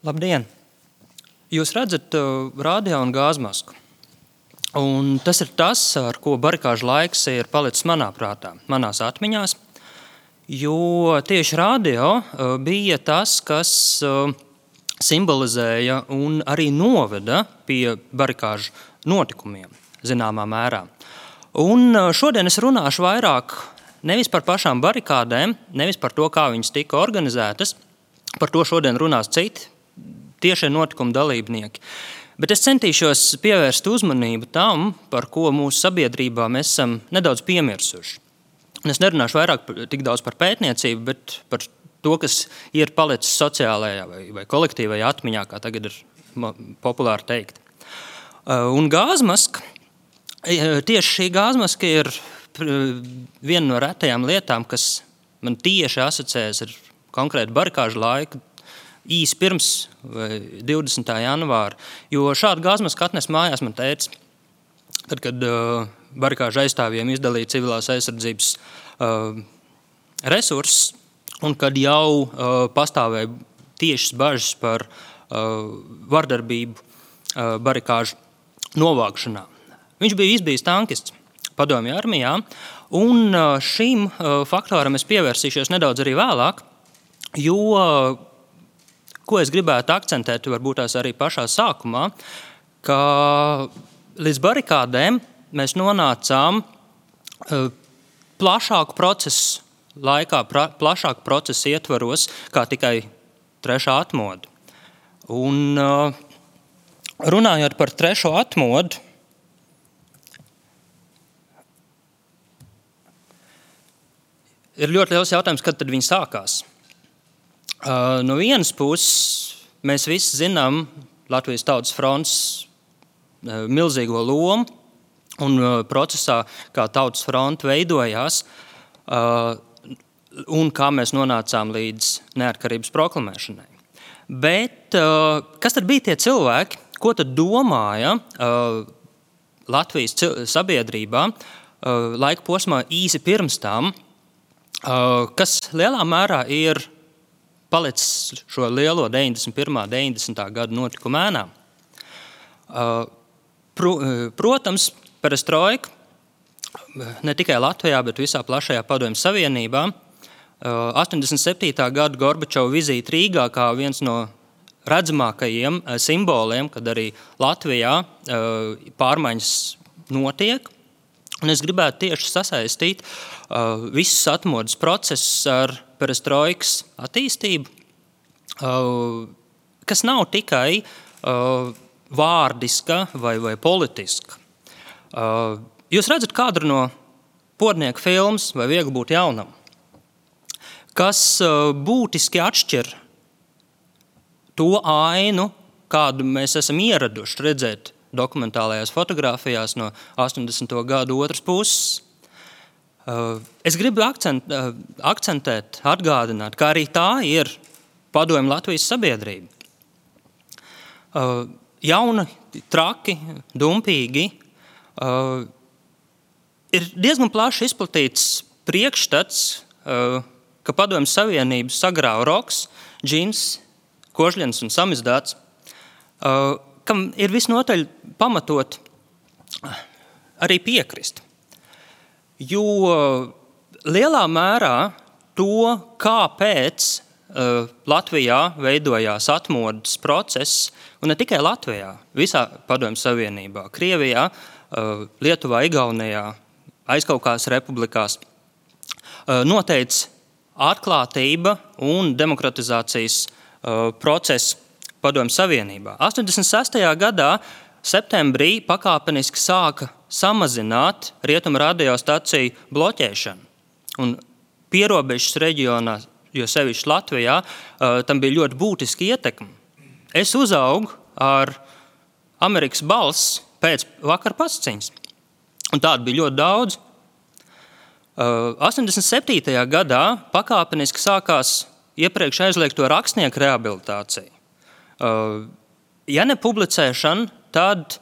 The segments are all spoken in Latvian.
Labdien! Jūs redzat radio un gāzmasku. Un tas ir tas, ar ko barikāžu laiks ir palicis manā prātā, manās atmiņās. Jo tieši radio bija tas, kas simbolizēja un arī noveda pie barikāžu notikumiem, zināmā mērā. Un šodien es runāšu vairāk nevis par pašām barikādēm, nevis par to, kā viņas tika organizētas. Par to šodien runās citi tiešie notikuma dalībnieki. Bet es centīšos pievērst uzmanību tam, par ko mūsu sabiedrībā mēs esam nedaudz piemirsuši. Es nerunāšu vairāk tik daudz par pētniecību, bet par to, kas ir palicis sociālajā vai kolektīvajā atmiņā, kā tagad ir populāri teikt. Un gāzmaska, tieši šī gāzmaska ir viena no retajām lietām, kas man tieši asociējas ar konkrētu barikāžu laiku, īsi pirms 20. janvāra, jo šādu gāzmasku atnes mājās man tētis, tad, kad barikāžu aizstāvjiem izdalīja civilās aizsardzības resursus, un kad jau pastāvēja tiešas bažas par vardarbību barikāžu novākšanā. Viņš bija izbijis tankists padomju armijā, un šim faktoram es pievērsīšos nedaudz arī vēlāk, jo ko es gribētu akcentēt, varbūt tās arī pašā sākumā, ka līdz barikādēm mēs nonācām plašāku procesu laikā, plašāku procesu ietvaros, kā tikai trešā atmodu. Un runājot par trešo atmodu, ir ļoti liels jautājums, kad tad viņi sākās. No vienas puses mēs visi zinām Latvijas Tautas fronts milzīgo lomu un procesā, kā Tautas fronte veidojās un kā mēs nonācām līdz neatkarības proklamēšanai. Bet kas tad bija tie cilvēki, ko tad domāja Latvijas sabiedrībā laika posmā īsi pirms tam, kas lielā mērā ir palicis šo lielo 91. 90. gadu notikumu ēnā. Protams, perestroika ne tikai Latvijā, bet visā plašajā Padomju Savienībā. 87. gada Gorbačova vizīte Rīgā kā viens no redzamākajiem simboliem, kad arī Latvijā pārmaiņas notiek. Un es gribētu tieši sasaistīt visus atmodas procesus ar perestroikas attīstību, kas nav tikai vārdiska vai politiska. Jūs redzat kadru no Pornieka filmas vai Viegli būt jaunam, kas būtiski atšķir to ainu, kādu mēs esam ieraduši redzēt dokumentālajās fotogrāfijās no 80. gadu otras puses. Es gribu akcentēt, atgādināt, ka arī tā ir padomju Latvijas sabiedrība. Jauni, traki, dumpīgi. Ir diezgan plaši izplatīts priekšstats, ka padomju Savienību sagrāva roks, džins, kožļens un samizdāts, kam ir visnotaļ pamatot arī piekrist. Jo lielā mērā to, kāpēc Latvijā veidojās atmodas process, un ne tikai Latvijā, visā Padomju Savienībā, Krievijā, Lietuvā, Igaunijā, Aizkaukās republikās, noteica atklātība un demokratizācijas process Padomju Savienībā. 86. gadā septembrī pakāpeniski sāka samazināt rietumu radiostaciju bloķēšanu. Un pierobežas reģionā, jo sevišķi Latvijā, tam bija ļoti būtiski ietekmi. Es uzaugu ar Amerikas balss pēc vakar pasciņas. Un tādu bija ļoti daudz. 87. gadā pakāpeniski sākās iepriekš aizliegto rakstnieku rehabilitācija. Ja ne publicēšana, tad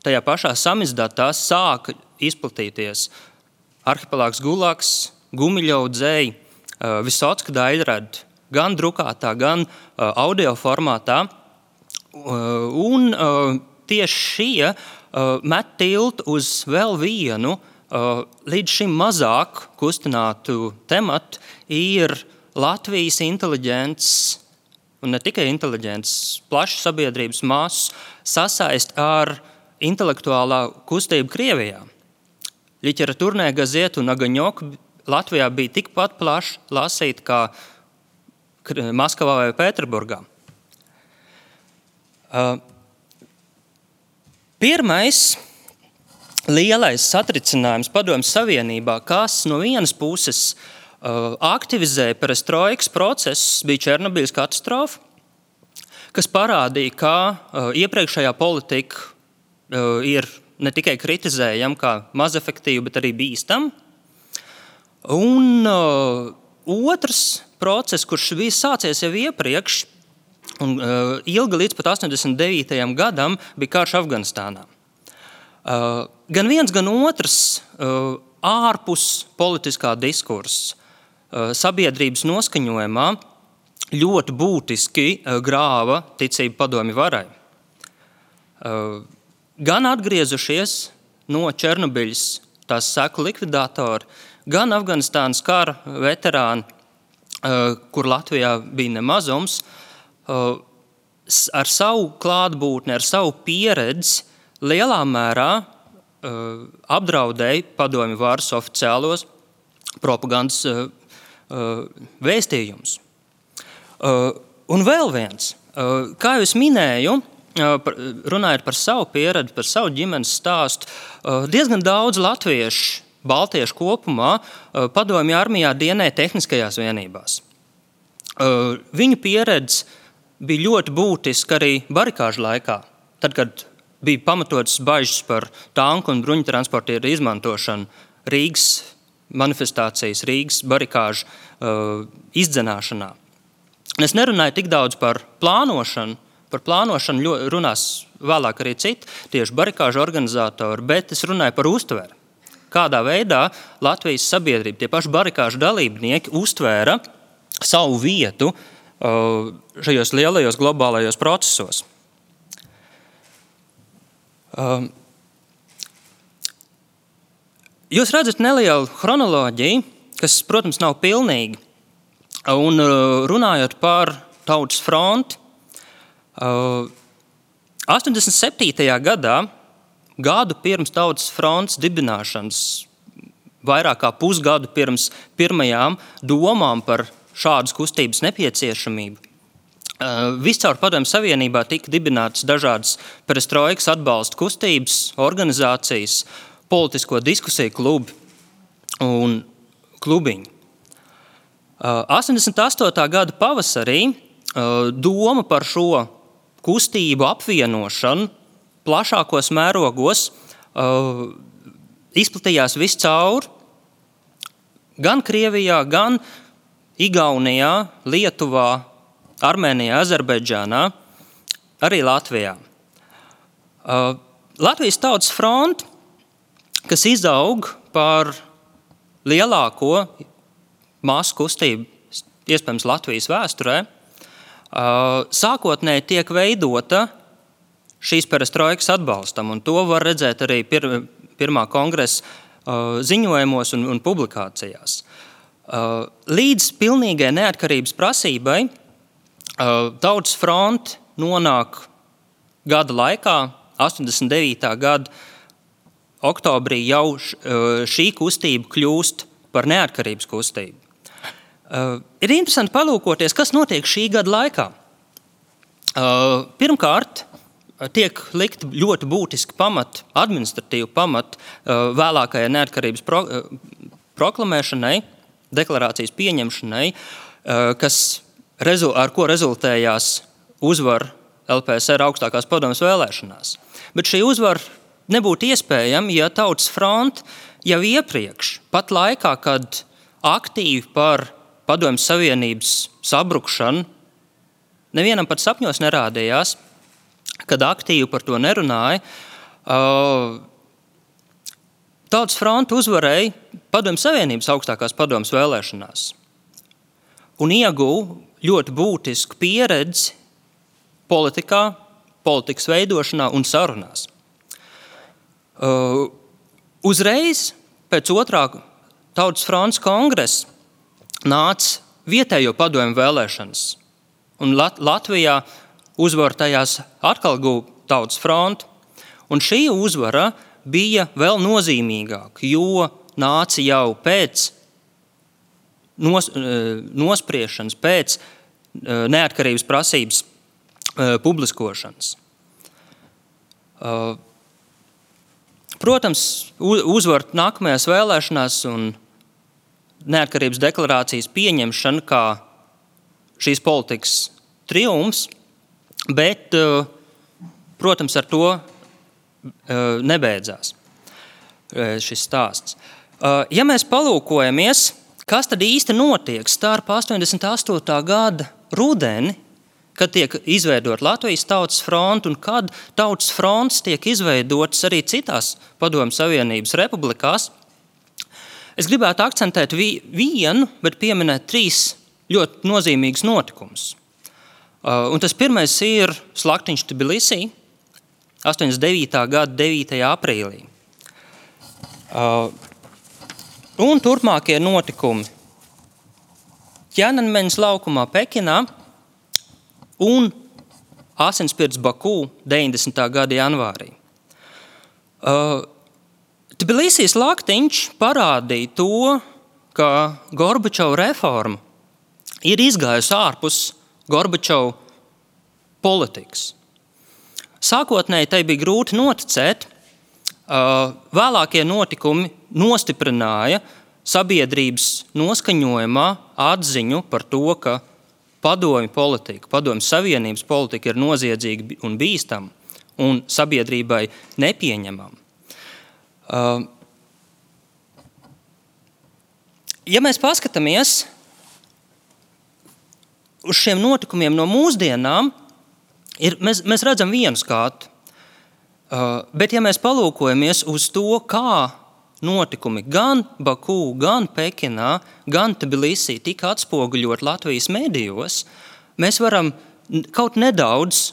tajā pašā samizdatā sāka izplatīties Arhipelāgs Gulaks, Gumiļova dzēja, Visocka daļrada, gan drukātā, gan audio formātā. Un tieši šie met tiltu uz vēl vienu līdz šim mazāk kustinātu tematu ir Latvijas inteliģents, un ne tikai inteliģents, plašs sabiedrības masu sasaist ar intelektuālā kustību Krievijā. Literatūrnē gazeta un Agaņoka Latvijā bija tikpat plaši lasīta kā Maskavā vai Pēterburgā. Pirmais lielais satricinājums Padomju Savienībā, kas no vienas puses aktivizēja perestroikas procesus, bija Černobiļas katastrofa, kas parādīja, ka iepriekšējā politika ir ne tikai kritizējama kā mazefektīva, bet arī bīstama. Un otrs process, kurš bija sācies jau iepriekš, un ilga līdz pat 89. gadam, bija karš Afganistānā. Gan viens, gan otrs ārpus politiskā diskursa sabiedrības noskaņojumā ļoti būtiski grāva ticību padomju varai. Gan atgriezušies no Černobiļas tās seku likvidātori, gan Afganistānas kara veterāni, kur Latvijā bija nemazums, ar savu klātbūtni, ar savu pieredzi lielā mērā apdraudēja padomju varas oficiālos propagandas vēstījumus. Un vēl viens, kā jau es minēju, runājot par savu pieredzi, par savu ģimenes stāstu, diezgan daudz latviešu, baltiešu kopumā padomju armijā dienēja tehniskajās vienībās. Viņu pieredze bija ļoti būtiska arī barikāžu laikā, tad, kad bija pamatotas bažas par tanku un bruņutransportieru izmantošanu Rīgas manifestācijas, Rīgas barikāžu izdzenāšanā. Es nerunāju tik daudz par plānošanu runās vēlāk arī citi, tieši barikāžu organizatori, bet es runāju par uztveri. Kādā veidā Latvijas sabiedrība, tie paši barikāžu dalībnieki uztvēra savu vietu šajos lielajos globālajos procesos. Jūs redzat nelielu chronoloģiju, kas, protams, nav pilnīga. Un runājot par Tautas fronti, 87. gadā, gadu pirms Tautas frontes dibināšanas, vairāk kā pusgadu pirms pirmajām domām par šādas kustības nepieciešamību, viscaur Padomju Savienībā tika dibinātas dažādas perestroikas atbalsta kustības, organizācijas, politisko diskusiju klubi un klubiņi. 88. gada pavasarī doma par šo kustību apvienošanu plašākos mērogos izplatījās viscaur, gan Krievijā, gan Igaunijā, Lietuvā, Armēnijā, Azerbaidžānā, arī Latvijā. Latvijas Tautas fronte, kas izaug par lielāko masu kustību, iespējams Latvijas vēsturē, sākotnēji tiek veidota šīs perestroikas atbalstam, un to var redzēt arī pirmā kongresa ziņojumos un publikācijās. Līdz pilnīgai neatkarības prasībai Tautas fronte nonāk gada laikā, 89. gada oktobrī jau šī kustība kļūst par neatkarības kustību. Ir interesanti palūkoties, kas notiek šī gada laikā. Pirmkārt, tiek likt ļoti būtiski administratīvi pamati vēlākajai neatkarības proklamēšanai, deklarācijas pieņemšanai, ar ko rezultējās uzvara LPSR augstākās padomes vēlēšanās. Bet šī uzvara nebūtu iespējama, ja Tautas fronte jau iepriekš, pat laikā, kad aktīvi par Padomju Savienības sabrukšanu nevienam pat sapņos nerādījās, kad aktīvi par to nerunāja, Tautas fronte uzvarēja Padomju Savienības augstākās padomes vēlēšanās un ieguva ļoti būtisku pieredzi politikā, politikas veidošanā un sarunās. Uzreiz pēc otrā Tautas frontes kongresa nāca vietējo padomju vēlēšanas, un Latvijā uzvaru tajās atkal guva Tautas fronte, un šī uzvara bija vēl nozīmīgāka, jo nāca jau pēc nospriešanas, pēc neatkarības prasības publiskošanas. Protams, uzvar nākamajās vēlēšanās un neatkarības deklarācijas pieņemšana kā šīs politikas triumfs, bet, protams, ar to nebeidzās šis stāsts. Ja mēs palūkojamies, kas tad īsti notiek starp 88. gada rudeni, kad tiek izveidot Latvijas Tautas fronte un kad Tautas frontes tiek izveidotas arī citās Padomju Savienības republikās, es gribētu akcentēt vienu, bet pieminēt 3 ļoti nozīmīgus notikumus. Un tas pirmais ir slaktiņš Tbilisī 89. gada 9. aprīlī. Un turpmākie notikumi Ķēnanmeņas laukumā Pekinā un Asinsspirts Baku 90. gada janvārī. Tbilisī slaktiņš parādīja to, ka Gorbačova reforma ir izgājusi ārpus Gorbačova politikas. Sākotnēji tai bija grūti noticēt, vēlākie notikumi nostiprināja sabiedrības noskaņojumā atziņu par to, ka padomju politika, padomju savienības politika ir noziedzīga un bīstama un sabiedrībai nepieņemama. Ja mēs paskatāmies uz šiem notikumiem no mūsdienām, mēs redzam vienu skatu. Bet ja mēs palūkojamies uz to, kā notikumi gan Baku, gan Pekinā, gan Tbilisī tika atspoguļot Latvijas medijos, mēs varam kaut nedaudz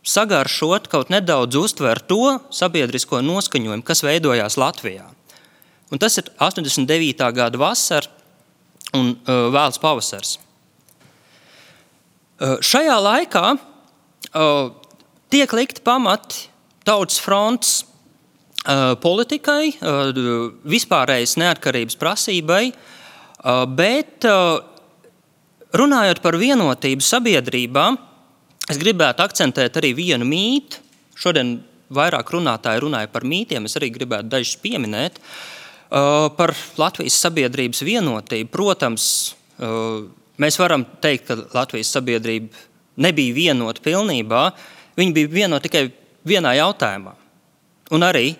sagaršot, kaut nedaudz uztvert to sabiedrisko noskaņojumu, kas veidojās Latvijā. Un tas ir 89. gada vasara un vēls pavasars. Šajā laikā tiek likti pamati Tautas frontes politikai, vispārējas neatkarības prasībai, bet runājot par vienotību sabiedrībā, es gribētu akcentēt arī vienu mītu. Šodien vairāk runātāji runāja par mītiem, es arī gribētu dažus pieminēt. Par Latvijas sabiedrības vienotību. Protams, mēs varam teikt, ka Latvijas sabiedrība nebija vienota pilnībā, viņi bija vienoti tikai vienā jautājumā. Un arī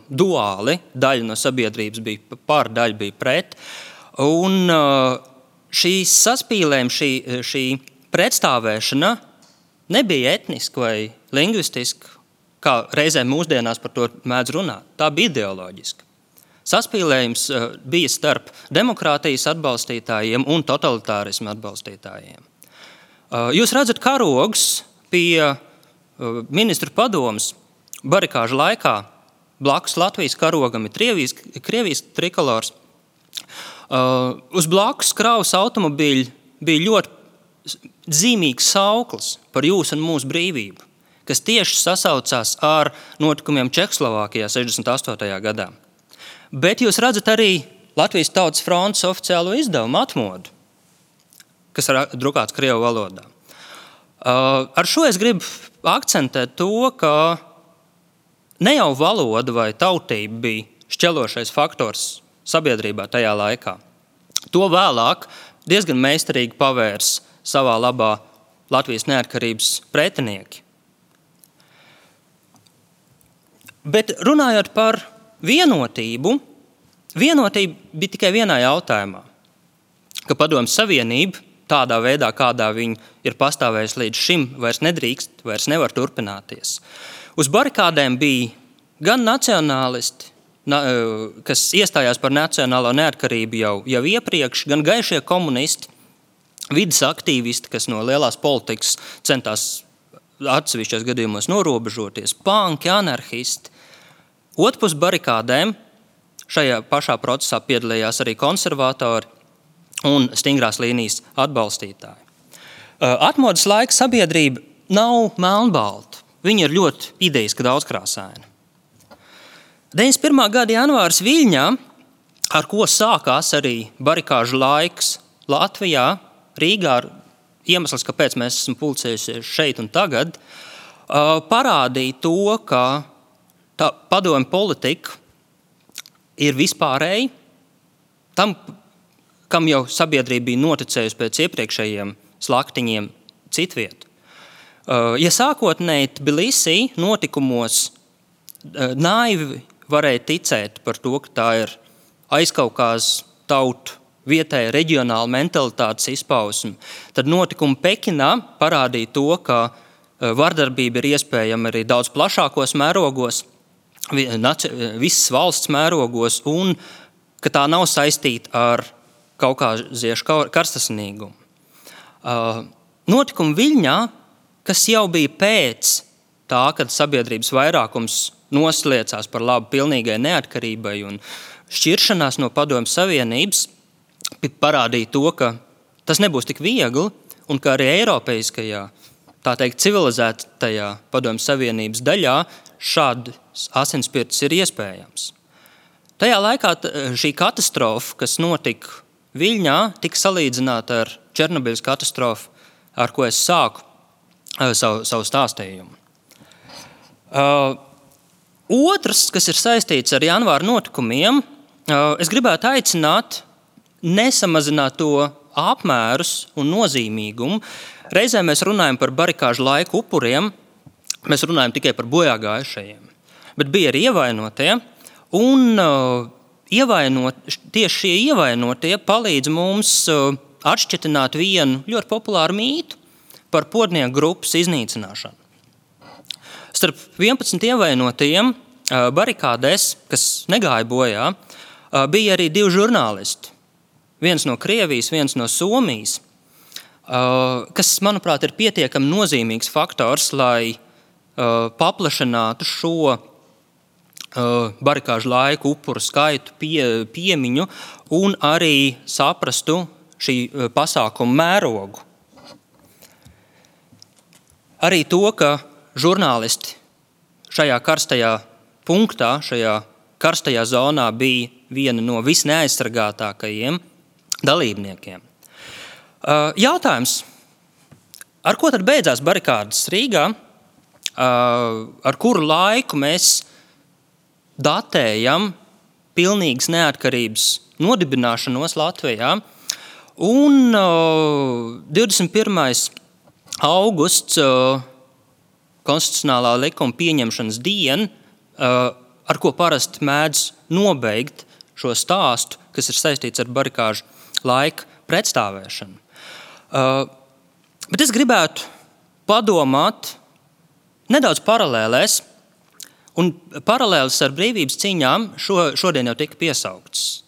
duāli daļa no sabiedrības bija par, daļa bija pret. Un šīs saspīlējumi, šī pretstāvēšana nebija etniska vai lingvistiska, kā reizēm mūsdienās par to mēdz runāt. Tā bija ideoloģiska. Saspīlējums bija starp demokrātijas atbalstītājiem un totalitārismu atbalstītājiem. Jūs redzat karogus pie ministru padomes barikāžu laikā. Blakus Latvijas karogam ir Krievijas trikolors. Uz blakus kravas automobīļi bija ļoti zīmīgs sauklis par jūsu un mūsu brīvību, kas tieši sasaucās ar notikumiem Čehoslovākijā 68. gadā. Bet jūs redzat arī Latvijas Tautas frontes oficiālo izdevumu atmodu, kas ir drukāts krievu valodā. Ar šo es gribu akcentēt to, ka ne jau valoda vai tautība bija šķelošais faktors sabiedrībā tajā laikā. To vēlāk diezgan meistarīgi pavērs savā labā Latvijas neatkarības pretinieki. Bet runājot par vienotība bija tikai vienā jautājumā, ka Padomju Savienība tādā veidā, kādā viņi ir pastāvējusi līdz šim, vairs nedrīkst, vairs nevar turpināties. Uz barikādēm bija gan nacionālisti, kas iestājās par nacionālo neatkarību jau iepriekš, gan gaišie komunisti, vides aktīvisti, kas no lielās politikas centās atsevišķos gadījumos norobežoties, panki, anarhisti. Otrpus barikādēm šajā pašā procesā piedalījās arī konservatori un stingrās līnijas atbalstītāji. Atmodas laika sabiedrība nav melnbalta. Viņa ir ļoti idejiski daudzkrāsaina. 91. gada janvārs Viļņā, ar ko sākās arī barikāžu laiks Latvijā, Rīgā, iemesls, kāpēc mēs esam pulcējušies šeit un tagad, parādīja to, ka tā padomju politika ir vispārēji, tam, kam jau sabiedrība bija noticējusi pēc iepriekšējiem slaktiņiem citviet. Ja sākotnēji Tbilisī notikumos naivi varēja ticēt par to, ka tā ir aizkaukās tautu vietēja reģionāla mentalitātes izpausme, tad notikumi Pekinā parādīja to, ka vardarbība ir iespējama arī daudz plašākos mērogos, visas valsts mērogos, un ka tā nav saistīta ar kaukāziešu karstasinīgumu. Notikumi Viļņā, kas jau bija pēc tā, kad sabiedrības vairākums nosliecās par labu pilnīgai neatkarībai un šķiršanās no Padomju Savienības, parādīja to, ka tas nebūs tik viegli un ka arī eiropeiskajā, tā teikt, civilizētajā Padomju Savienības daļā šāds asinspirts ir iespējams. Tajā laikā šī katastrofa, kas notika Viļņā, tika salīdzināta ar Černobiļas katastrofu, ar ko es sāku savu stāstījumu. Otrs, kas ir saistīts ar janvāra notikumiem, es gribētu aicināt nesamazināt to apmērus un nozīmīgumu. Reizē mēs runājam par barikāžu laiku upuriem, mēs runājam tikai par bojāgājušajiem, bet bija arī ievainotie, un tieši šie ievainotie palīdz mums atšķetināt vienu ļoti populāru mītu par podnieku grupas iznīcināšanu. Starp 11 ievainotajiem barikādēs, kas negāja bojā, bija arī 2 žurnālisti. Viens no Krievijas, viens no Somijas, kas, manuprāt, ir pietiekami nozīmīgs faktors, lai paplašinātu šo barikāžu laiku upuru skaitu piemiņu un arī saprastu šī pasākuma mērogu. Arī to, ka žurnālisti šajā karstajā punktā, šajā karstajā zonā bija viena no visneaizsargātākajiem dalībniekiem. Jautājums, ar ko tad beidzās barikādas Rīgā, ar kuru laiku mēs datējam pilnīgas neatkarības nodibināšanos Latvijā, un 21. augusts konstitucionālā likuma pieņemšanas diena, ar ko parasti mēdz nobeigt šo stāstu, kas ir saistīts ar barikāžu laika pretstāvēšanu. Bet es gribētu padomāt nedaudz paralēlēs, un paralēlis ar brīvības cīņām šodien jau tika piesauktas.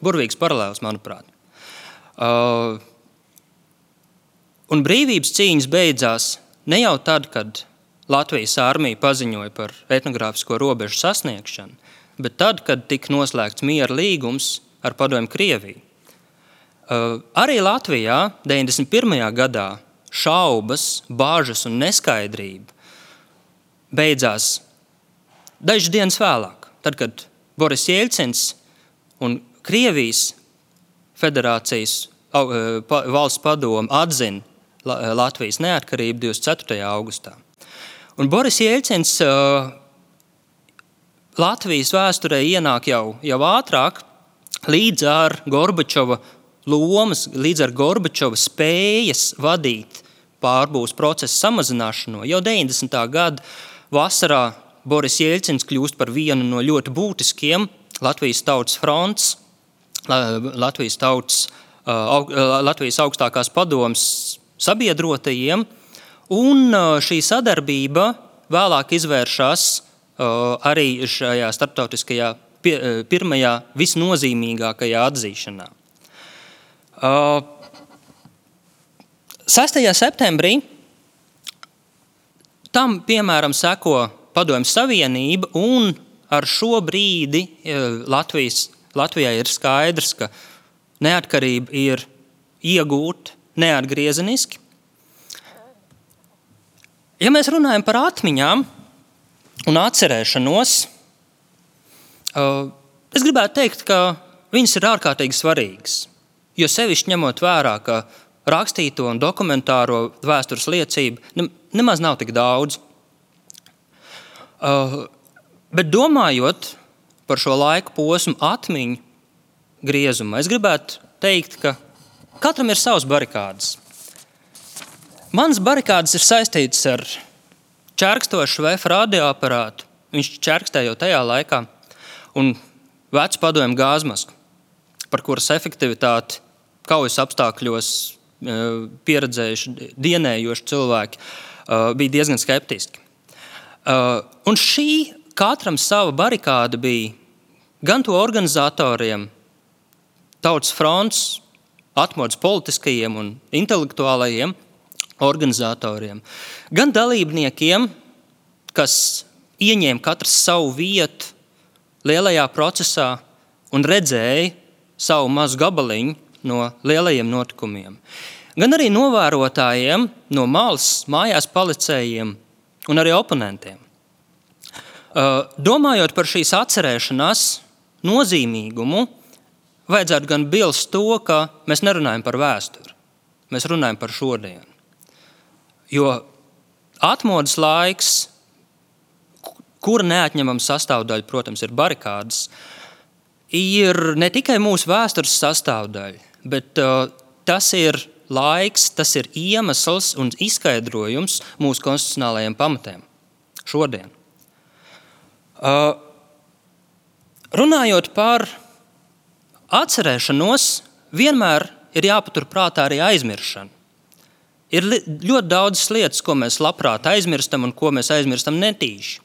Burvīgs paralēlis, manuprāt. Un brīvības cīņas beidzās ne jau tad, kad Latvijas armija paziņoja par etnogrāfisko robežu sasniegšanu, bet tad, kad tika noslēgts miera līgums ar Padomju Krieviju. Arī Latvijā 91. gadā šaubas, bāžas un neskaidrība beidzās dažas dienas vēlāk, tad, kad Boris Jeļcins un Krievijas Federācijas valsts padome atzina Latvijas neatkarību 24. augustā. Un Boris Jeļcins Latvijas vēsturē ienāk jau ātrāk, līdz ar Gorbačova lomas, līdz ar Gorbačova spējas vadīt pārbūves procesa samazināšanu. Jau 90. gada vasarā Boris Jeļcins kļūst par vienu no ļoti būtiskiem Latvijas tautas fronts, Latvijas augstākās padomes sabiedrotajiem, un šī sadarbība vēlāk izvēršas arī šajā starptautiskajā pirmajā visnozīmīgākajā atzīšanā. 6. septembrī tam, piemēram, seko Padomju Savienība, un ar šo brīdi Latvijai ir skaidrs, ka neatkarība ir iegūta neatgriezeniski. Ja mēs runājam par atmiņām un atcerēšanos, es gribētu teikt, ka viņas ir ārkārtīgi svarīgas, jo sevišķi ņemot vērā, ka rakstīto un dokumentāro vēstures liecību nemaz nav tik daudz. Bet domājot par šo laiku posmu atmiņu griezumu, es gribētu teikt, ka katram ir savas barikādes. Manas barikādes ir saistītas ar čerkstošu VF radioaparātu, viņš čerkstēja jau tajā laikā, un vecu padomju gāzmasku, par kuras efektivitāti kaujas apstākļos pieredzējuši, dienējoši cilvēki bija diezgan skeptiski. Un šī katram sava barikāda bija gan to organizatoriem, Tautas fronts, atmodas politiskajiem un intelektuālajiem organizatoriem, gan dalībniekiem, kas ieņēma katrs savu vietu lielajā procesā un redzēja savu mazu gabaliņu no lielajiem notikumiem, gan arī novērotājiem no malas, mājās palicējiem un arī oponentiem. Domājot par šīs atcerēšanās nozīmīgumu, vajadzētu gan bilst to, ka mēs nerunājam par vēsturi, mēs runājam par šodienu. Jo atmodas laiks, kura neatņemama sastāvdaļa, protams, ir barikādes, ir ne tikai mūsu vēstures sastāvdaļa, bet tas ir laiks, tas ir iemesls un izskaidrojums mūsu konstitucionālajiem pamatiem šodien. Runājot par atcerēšanos, vienmēr ir jāpatur prātā arī aizmiršana. Ir ļoti daudzas lietas, ko mēs labprāt aizmirstam un ko mēs aizmirstam netīši.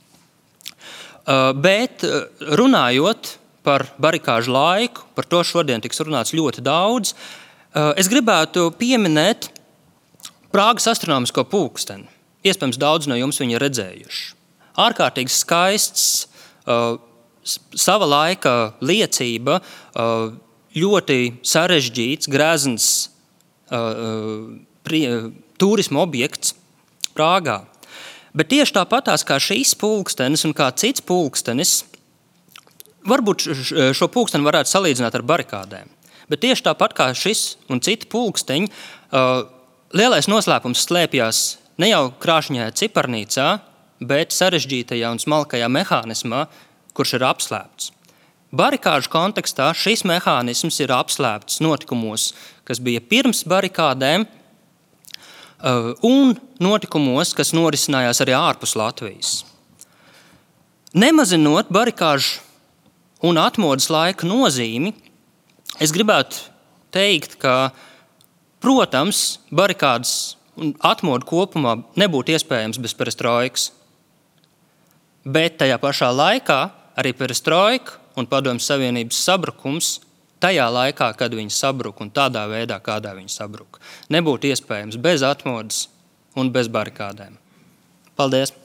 Bet runājot par barikāžu laiku, par to šodien tiks runāts ļoti daudz, es gribētu pieminēt Prāgas astronomisko pulksteni. Iespējams, daudz no jums viņu ir redzējuši. Ārkārtīgi skaists, sava laika liecība, ļoti sarežģīts, grezns turisma objekts Prāgā. Bet tieši tāpatās kā šīs pulkstenis un kā cits pulkstenis, varbūt šo pulksteni varētu salīdzināt ar barikādēm, bet tieši tāpat kā šis un citi pulksteņi, lielais noslēpums slēpjas ne jau krāšņajā ciparnīcā, bet sarežģītajā un smalkajā mehānismā, kurš ir apslēpts. Barikāžu kontekstā šis mehānisms ir apslēpts notikumos, kas bija pirms barikādēm, un notikumos, kas norisinājās arī ārpus Latvijas. Nemazinot barikāžu un atmodas laika nozīmi, es gribētu teikt, ka, protams, barikādas un atmodu kopumā nebūtu iespējams bez perestroikas. Bet tajā pašā laikā arī perestroika un Padomju Savienības sabrukums tajā laikā, kad viņi sabruka un tādā veidā, kādā viņi sabruka, nebūtu iespējams bez atmodas un bez barikādēm. Paldies!